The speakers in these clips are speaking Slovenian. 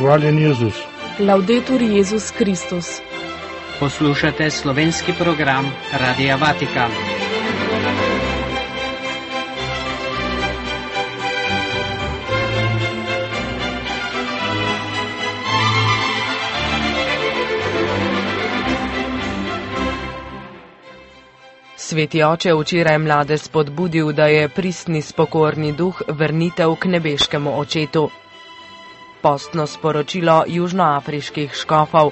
Hvaljen Jezus. Laudetur Jezus Kristus. Poslušate slovenski program Radia Vatikan. Sveti oče včeraj mlade spodbudil, da je pristni spokorni duh vrnitev k nebeškemu očetu. Postno sporočilo južnoafriških škofov.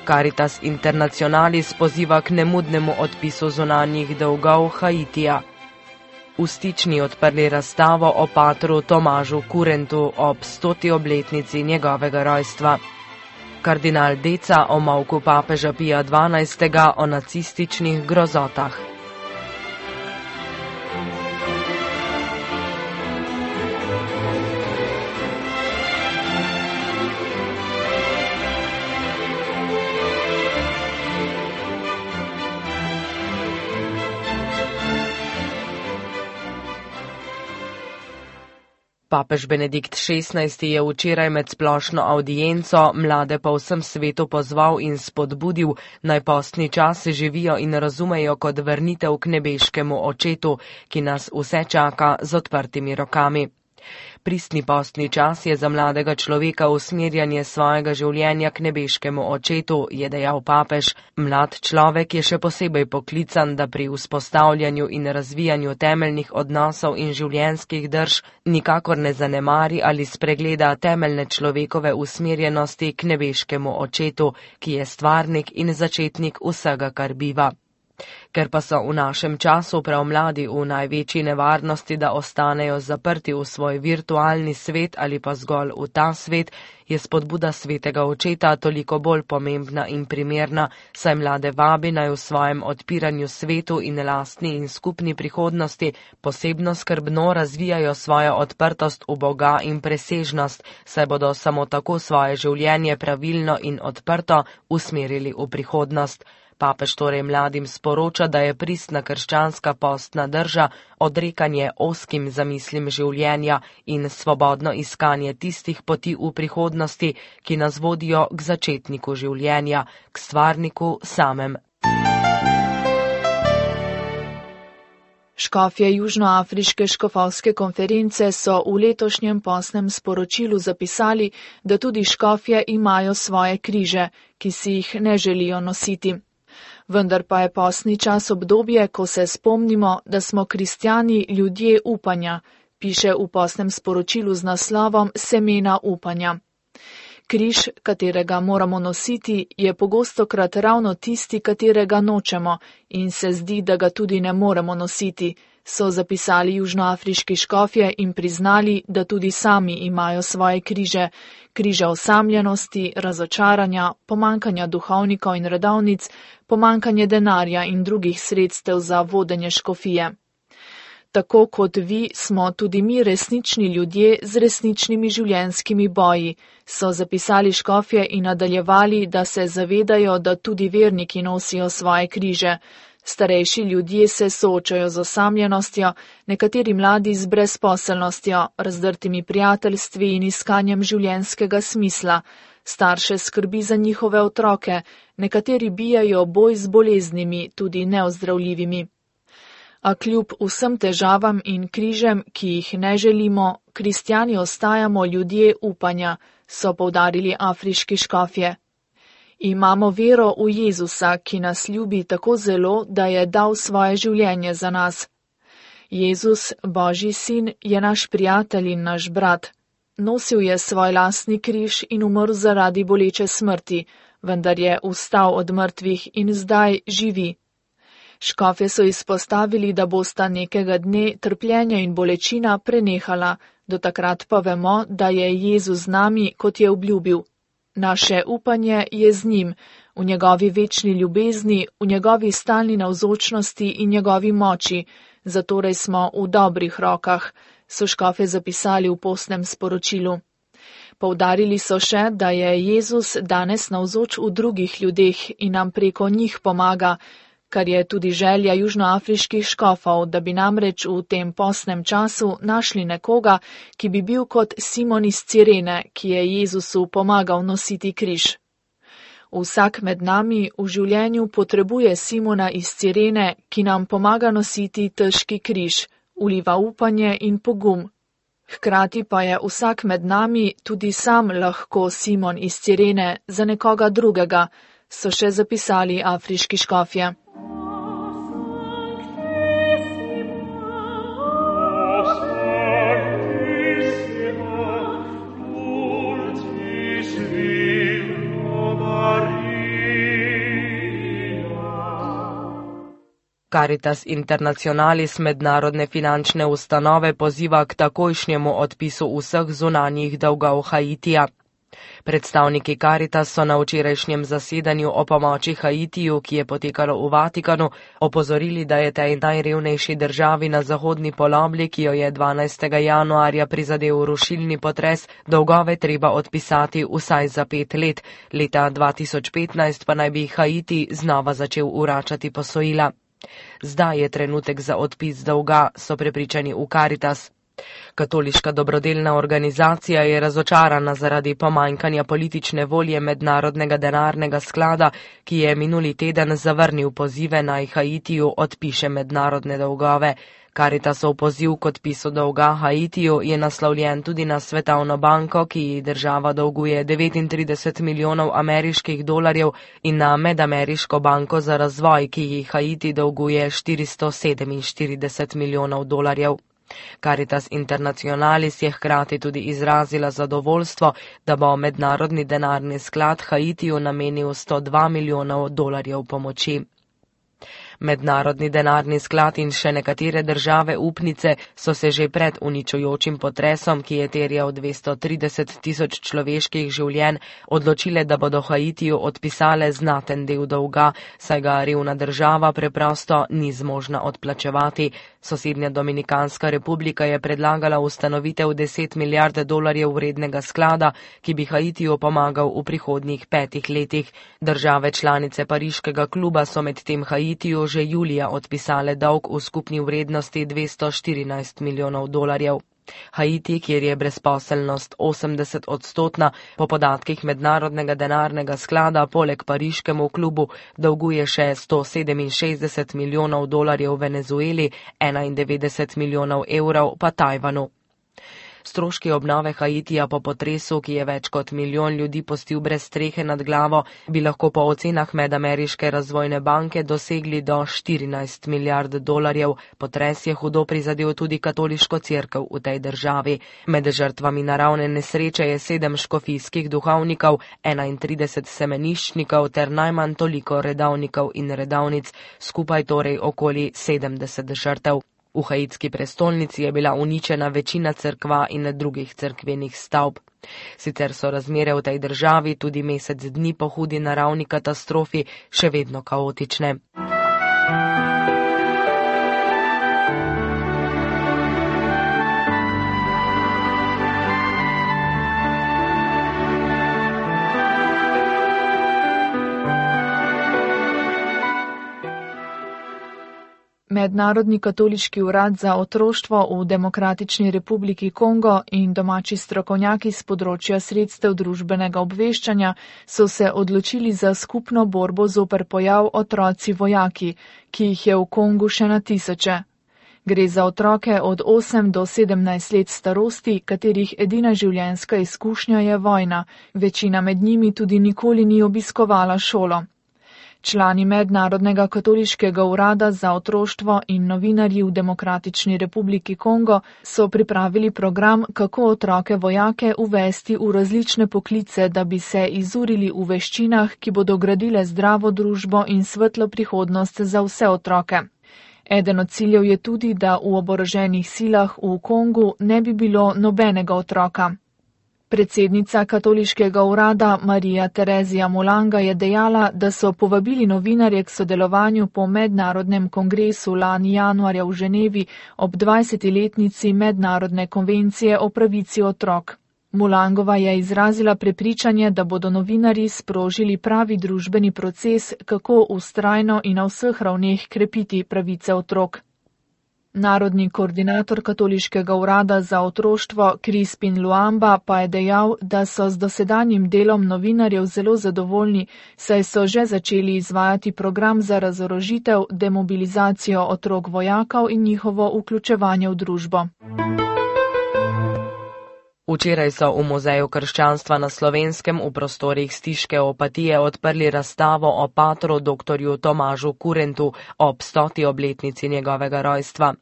Caritas Internationalis poziva k nemudnemu odpisu zunanjih dolgov Haitija. V Stični odprli razstavo o patru Tomažu Kurentu ob 100. obletnici njegovega rojstva. Kardinal Deca o molku papeža Pija XII. O nacističnih grozotah. Papež Benedikt XVI. Je včeraj med splošno avdienco mlade po vsem svetu pozval in spodbudil, naj postni čas živijo in razumejo kot vrnitev k nebeškemu očetu, ki nas vse čaka z odprtimi rokami. Pristni postni čas je za mladega človeka usmerjanje svojega življenja k nebeškemu očetu, je dejal papež. Mlad človek je še posebej poklican, da pri vzpostavljanju in razvijanju temeljnih odnosov in življenjskih drž nikakor ne zanemari ali spregleda temeljne človekove usmerjenosti k nebeškemu očetu, ki je stvarnik in začetnik vsega, kar biva. Ker pa so v našem času prav mladi v največji nevarnosti, da ostanejo zaprti v svoj virtualni svet ali pa zgolj v ta svet, je spodbuda svetega očeta toliko bolj pomembna in primerna, saj mlade vabi naj v svojem odpiranju svetu in lastni in skupni prihodnosti posebno skrbno razvijajo svojo odprtost v Boga in presežnost, saj bodo samo tako svoje življenje pravilno in odprto usmerili v prihodnost. Papež torej mladim sporoča, da je pristna krščanska postna drža odrekanje ozkim zamislim življenja in svobodno iskanje tistih poti v prihodnosti, ki nas vodijo k začetniku življenja, k stvarniku samem. Škofje Južnoafriške škofovske konference so v letošnjem postnem sporočilu zapisali, da tudi škofje imajo svoje križe, ki si jih ne želijo nositi. Vendar pa je postni čas obdobje, ko se spomnimo, da smo kristjani ljudje upanja, piše v postnem sporočilu z naslovom Semena upanja. Križ, katerega moramo nositi, je pogostokrat ravno tisti, katerega nočemo in se zdi, da ga tudi ne moremo nositi, so zapisali južnoafriški škofje in priznali, da tudi sami imajo svoje križe, križe osamljenosti, razočaranja, pomankanja duhovnikov in redovnic, pomankanje denarja in drugih sredstev za vodenje škofije. Tako kot vi smo tudi mi resnični ljudje z resničnimi življenjskimi boji, so zapisali škofje in nadaljevali, da se zavedajo, da tudi verniki nosijo svoje križe. Starejši ljudje se soočajo z osamljenostjo, nekateri mladi z brezposelnostjo, razdrtimi prijateljstvi in iskanjem življenjskega smisla. Starše skrbi za njihove otroke, nekateri bijajo boj z boleznimi, tudi neozdravljivimi. A kljub vsem težavam in križem, ki jih ne želimo, kristjani ostajamo ljudje upanja, so poudarili afriški škofje. Imamo vero v Jezusa, ki nas ljubi tako zelo, da je dal svoje življenje za nas. Jezus, Božji sin, je naš prijatelj in naš brat. Nosil je svoj lastni križ in umrl zaradi boleče smrti, vendar je vstal od mrtvih in zdaj živi. Škofje so izpostavili, da bosta nekega dne trpljenja in bolečina prenehala, do takrat pa vemo, da je Jezus z nami, kot je obljubil. Naše upanje je z njim, v njegovi večni ljubezni, v njegovi stalni navzočnosti in njegovi moči, zatorej smo v dobrih rokah, so škofje zapisali v postnem sporočilu. Poudarili so še, da je Jezus danes navzoč v drugih ljudeh in nam preko njih pomaga, kar je tudi želja južnoafriških škofov, da bi namreč v tem postnem času našli nekoga, ki bi bil kot Simon iz Cirene, ki je Jezusu pomagal nositi križ. Vsak med nami v življenju potrebuje Simona iz Cirene, ki nam pomaga nositi težki križ, vliva upanje in pogum. Hkrati pa je vsak med nami tudi sam lahko Simon iz Cirene za nekoga drugega, so še zapisali afriški škofje. Caritas Internationalis mednarodne finančne ustanove poziva k takojšnjemu odpisu vseh zunanjih dolgov Haitija. Predstavniki Caritas so na včerajšnjem zasedanju o pomoči Haitiju, ki je potekalo v Vatikanu, opozorili, da je tej najrevnejši državi na zahodni polobli, ki jo je 12. januarja prizadel rušilni potres, dolgove treba odpisati vsaj za 5 let. Leta 2015 pa naj bi Haiti znova začel vračati posojila. Zdaj je trenutek za odpis dolga, so prepričani v Caritas. Katoliška dobrodelna organizacija je razočarana zaradi pomanjkanja politične volje Mednarodnega denarnega sklada, ki je minuli teden zavrnil pozive naj Haitiju odpiše mednarodne dolgove. Caritasov poziv k odpisu dolga Haitiju je naslovljen tudi na Svetovno banko, ki ji država dolguje 39 milijonov ameriških dolarjev, in na Medameriško banko za razvoj, ki ji Haiti dolguje 447 milijonov dolarjev. Caritas Internationalis je hkrati tudi izrazila zadovoljstvo, da bo Mednarodni denarni sklad Haitiju namenil 102 milijonov dolarjev pomoči. Mednarodni denarni sklad in še nekatere države upnice so se že pred uničujočim potresom, ki je terjal 230 tisoč človeških življenj, odločile, da bodo Haitiju odpisale znaten del dolga, saj ga revna država preprosto ni zmožna odplačevati. Sosednja Dominikanska republika je predlagala ustanovitev 10 milijard dolarjev vrednega sklada, ki bi Haitiju pomagal v prihodnjih 5 letih. Države članice Pariškega kluba so medtem Haitiju že julija odpisale dolg v skupni vrednosti 214 milijonov dolarjev. Haiti, kjer je brezposelnost 80%, po podatkih Mednarodnega denarnega sklada poleg Pariškemu klubu dolguje še 167 milijonov dolarjev Venezueli, 91 milijonov evrov pa Tajvanu. Stroški obnove Haitija po potresu, ki je več kot milijon ljudi pustil brez strehe nad glavo, bi lahko po ocenah Medameriške razvojne banke dosegli do 14 milijard dolarjev. Potres je hudo prizadel tudi katoliško cerkev v tej državi. Med žrtvami naravne nesreče je 7 škofijskih duhovnikov, 31 semeniščnikov ter najmanj toliko redavnikov in redavnic, skupaj torej okoli 70 žrtev. V haitski prestolnici je bila uničena večina cerkva in drugih cerkvenih stavb. Sicer so razmere v tej državi tudi mesec dni po hudi naravni katastrofi še vedno kaotične. Mednarodni katoliški urad za otroštvo v Demokratični republiki Kongo in domači strokovnjaki z področja sredstev družbenega obveščanja so se odločili za skupno borbo zoper pojav otroci vojaki, ki jih je v Kongu še na tisoče. Gre za otroke od 8 do 17 let starosti, katerih edina življenjska izkušnja je vojna, večina med njimi tudi nikoli ni obiskovala šolo. Člani Mednarodnega katoliškega urada za otroštvo in novinarji v Demokratični republiki Kongo so pripravili program, kako otroke vojake uvesti v različne poklice, da bi se izurili v veščinah, ki bodo gradile zdravo družbo in svetlo prihodnost za vse otroke. Eden od ciljev je tudi, da v oboroženih silah v Kongu ne bi bilo nobenega otroka. Predsednica katoliškega urada Marija Terezija Mulanga je dejala, da so povabili novinarje k sodelovanju po mednarodnem kongresu lani januarja v Ženevi ob 20-letnici Mednarodne konvencije o pravici otrok. Mulangova je izrazila prepričanje, da bodo novinarji sprožili pravi družbeni proces, kako vztrajno in na vseh ravneh krepiti pravice otrok. Narodni koordinator Katoliškega urada za otroštvo Crispin Luamba pa je dejal, da so z dosedanjim delom novinarjev zelo zadovoljni, saj so že začeli izvajati program za razorožitev, demobilizacijo otrok vojakov in njihovo vključevanje v družbo. Včeraj so v Muzeju krščanstva na Slovenskem v prostorih Stiške Opatije odprli razstavo o patru dr. Tomažu Kurentu ob 100. obletnici njegovega rojstva.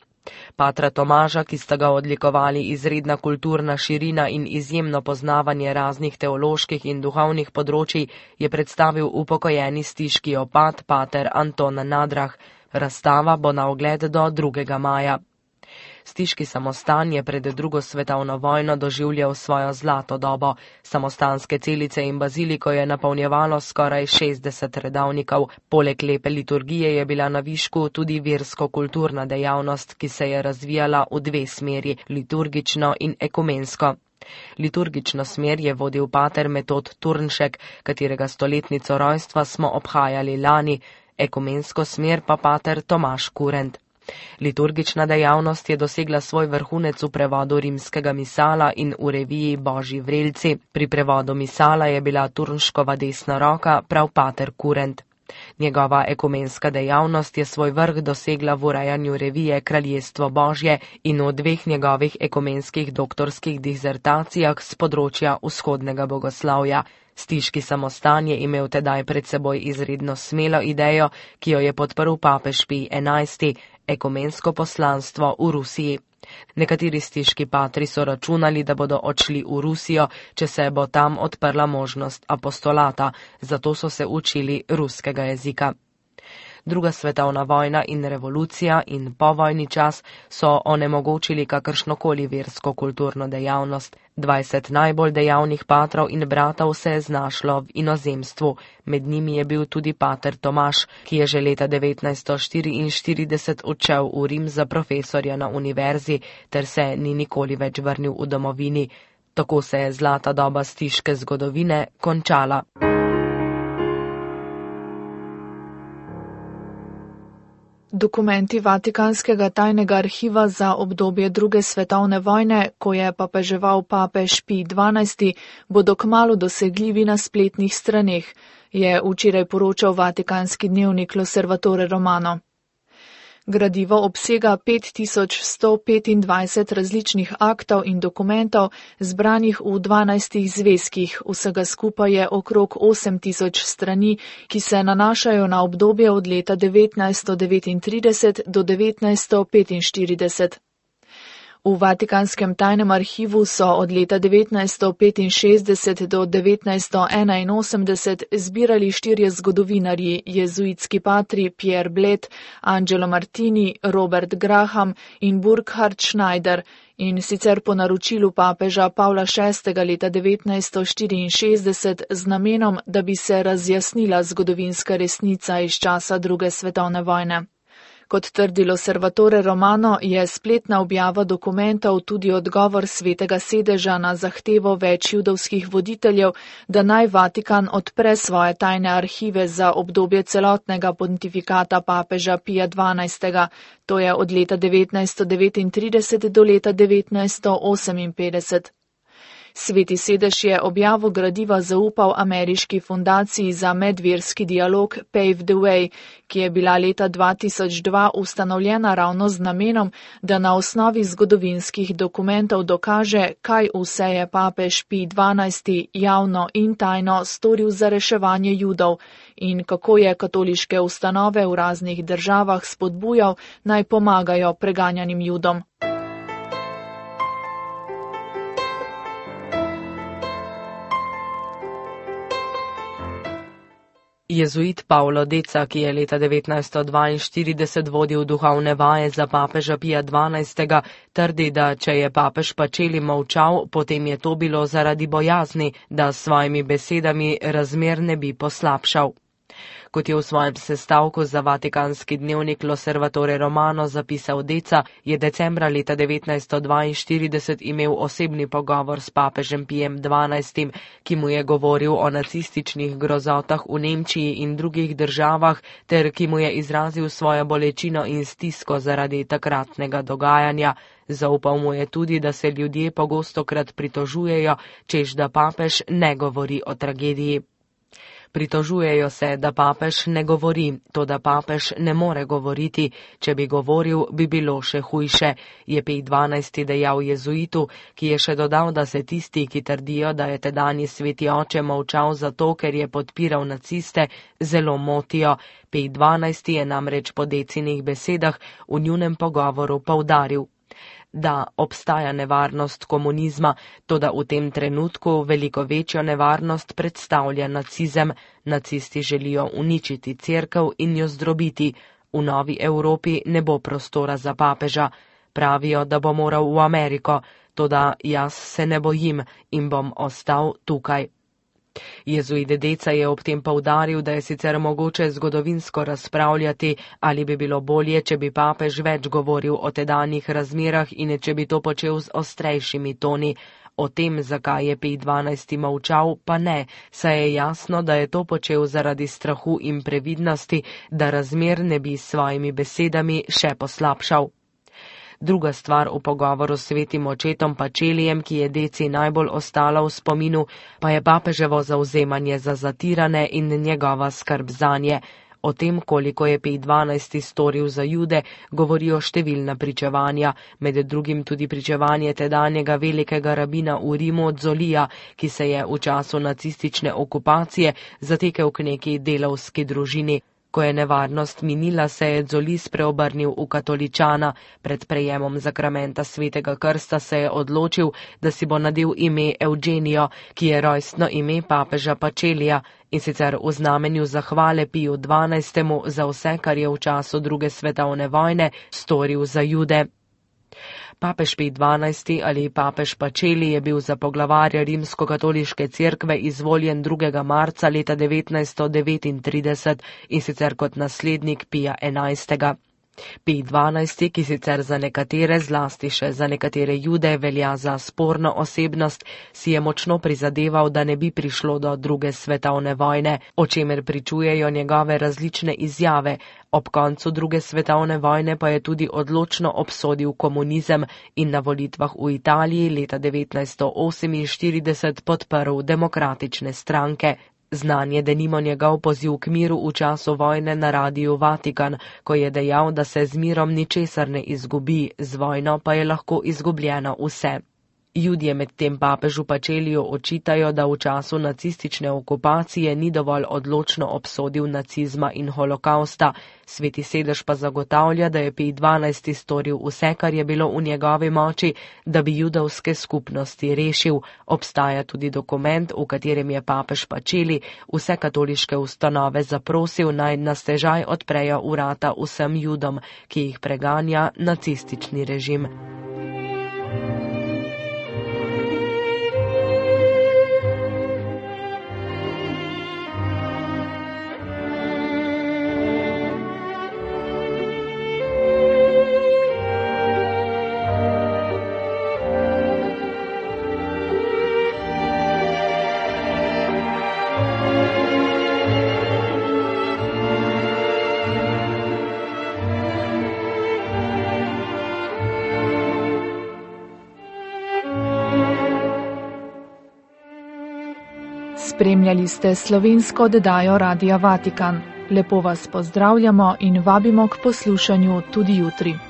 Patra Tomaža, ki sta ga odlikovali izredna kulturna širina in izjemno poznavanje raznih teoloških in duhovnih področij, je predstavil upokojeni stiški opat pater Anton Nadrah. Razstava bo na ogled do 2. maja. Stiški samostan je pred 2. svetovno vojno doživljal svojo zlato dobo. Samostanske celice in baziliko je napolnjevalo skoraj 60 redavnikov. Poleg lepe liturgije je bila na višku tudi versko-kulturna dejavnost, ki se je razvijala v 2 smeri, liturgično in ekumensko. Liturgično smer je vodil pater Metod Turnšek, katerega stoletnico rojstva smo obhajali lani, ekumensko smer pa pater Tomaž Kurent. Liturgična dejavnost je dosegla svoj vrhunec v prevodu rimskega misala in v reviji Božji vrelci. Pri prevodu misala je bila Turnškova desna roka prav pater Kurent. Njegova ekumenska dejavnost je svoj vrh dosegla v urejanju revije Kraljestvo Božje in v 2 njegovih ekumenskih doktorskih dizertacijah z področja vzhodnega bogoslavja. Stiški samostan je imel tedaj pred seboj izredno smelo idejo, ki jo je podprl papež Pij XI, ekumensko poslanstvo v Rusiji. Nekateri stiški patri so računali, da bodo odšli v Rusijo, če se bo tam odprla možnost apostolata, zato so se učili ruskega jezika. 2. svetovna vojna in revolucija in povojni čas so onemogočili kakršnokoli versko-kulturno dejavnost. 20 najbolj dejavnih patrov in bratov se je znašlo v inozemstvu. Med njimi je bil tudi pater Tomaž, ki je že leta 1944 odšel v Rim za profesorja na univerzi, ter se ni nikoli več vrnil v domovini. Tako se je zlata doba stiške zgodovine končala. Dokumenti Vatikanskega tajnega arhiva za obdobje 2. svetovne vojne, ko je papeževal papež Pij XII, bodo kmalu dosegljivi na spletnih straneh, je včeraj poročal vatikanski dnevnik L'Osservatore Romano. Gradivo obsega 5125 različnih aktov in dokumentov, zbranih v 12 zvezkih, vsega skupaj je okrog 8000 strani, ki se nanašajo na obdobje od leta 1939 do 1945. V Vatikanskem tajnem arhivu so od leta 1965 do 1981 zbirali 4 zgodovinarji, jezuitski patri Pierre Bled, Angelo Martini, Robert Graham in Burkhard Schneider, in sicer po naročilu papeža Pavla VI. Leta 1964 z namenom, da bi se razjasnila zgodovinska resnica iz časa 2. svetovne vojne. Kot trdi L'Osservatore Romano, je spletna objava dokumentov tudi odgovor Svetega sedeža na zahtevo več judovskih voditeljev, da naj Vatikan odpre svoje tajne arhive za obdobje celotnega pontifikata papeža Pija XII., to je od leta 1939 do leta 1958. Sveti sedež je objavo gradiva zaupal ameriški fundaciji za medverski dialog Pave the Way, ki je bila leta 2002 ustanovljena ravno z namenom, da na osnovi zgodovinskih dokumentov dokaže, kaj vse je papež Pij XII javno in tajno storil za reševanje Judov in kako je katoliške ustanove v raznih državah spodbujal, naj pomagajo preganjanim Judom. Jezuit Pavlo Deca, ki je leta 1942 vodil duhovne vaje za papeža Pija XII., trdi, da če je papež Pacelli molčal, potem je to bilo zaradi bojazni, da s svojimi besedami razmer ne bi poslabšal. Kot je v svojem sestavku za vatikanski dnevnik L'Osservatore Romano zapisal Deca, je decembra leta 1942 imel osebni pogovor s papežem Pijem XII, ki mu je govoril o nacističnih grozotah v Nemčiji in drugih državah, ter ki mu je izrazil svojo bolečino in stisko zaradi takratnega dogajanja. Zaupal mu je tudi, da se ljudje pogostokrat pritožujejo, češ da papež ne govori o tragediji. Pritožujejo se, da papež ne govori, toda papež ne more govoriti. Če bi govoril, bi bilo še hujše, je Pij XII dejal jezuitu, ki je še dodal, da se tisti, ki trdijo, da je tedanji sveti oče molčal zato, ker je podpiral naciste, zelo motijo. Pij XII je namreč po Decinih besedah v njunem pogovoru poudaril, da obstaja nevarnost komunizma, toda v tem trenutku veliko večjo nevarnost predstavlja nacizem. Nacisti želijo uničiti cerkev in jo zdrobiti. V novi Evropi ne bo prostora za papeža. Pravijo, da bo moral v Ameriko, toda jaz se ne bojim in bom ostal tukaj. Jezuit Deca je ob tem poudaril, da je sicer mogoče zgodovinsko razpravljati, ali bi bilo bolje, če bi papež več govoril o tedanjih razmerah in če bi to počel z ostrejšimi toni. O tem, zakaj je Pij XII molčal, pa ne, saj je jasno, da je to počel zaradi strahu in previdnosti, da razmer ne bi s svojimi besedami še poslabšal. Druga stvar v pogovoru s svetim očetom Pacellijem, ki je Deci najbolj ostala v spominu, pa je papeževo zavzemanje za zatirane in njegova skrb zanje. O tem, koliko je Pij XII storil za Jude, govorijo številna pričevanja, med drugim tudi pričevanje tedanjega velikega rabina v Rimu Zolija, ki se je v času nacistične okupacije zatekel k neki delavski družini. Ko je nevarnost minila, se je Zoli spreobrnil v katoličana. Pred prejemom zakramenta svetega krsta se je odločil, da si bo nadel ime Eugenio, ki je rojstno ime papeža Pacellija, in sicer v znamenju zahvale Piju XII za vse, kar je v času druge svetovne vojne storil za Jude. Papež Pij XII ali papež Pacelli je bil za poglavarja rimskokatoliške cerkve izvoljen 2. marca leta 1939 in sicer kot naslednik Pija XI. Pij XII, ki sicer za nekatere, zlasti še za nekatere Jude, velja za sporno osebnost, si je močno prizadeval, da ne bi prišlo do druge svetovne vojne, o čemer pričujejo njegove različne izjave. Ob koncu druge svetovne vojne pa je tudi odločno obsodil komunizem in na volitvah v Italiji leta 1948 podprl demokratične stranke. Znan je denimo njegov poziv k miru v času vojne na Radiu Vatikan, ko je dejal, da se z mirom ničesar ne izgubi, z vojno pa je lahko izgubljeno vse. Judje med tem papežu Pacelliju očitajo, da v času nacistične okupacije ni dovolj odločno obsodil nacizma in holokausta. Sveti sedež pa zagotavlja, da je Pij XII storil vse, kar je bilo v njegovi moči, da bi judovske skupnosti rešil. Obstaja tudi dokument, v katerem je papež Pacelli vse katoliške ustanove zaprosil, naj na stežaj odprejo vrata vsem Judom, ki jih preganja nacistični režim. Spremljali ste slovensko oddajo Radia Vatikan. Lepo vas pozdravljamo in vabimo k poslušanju tudi jutri.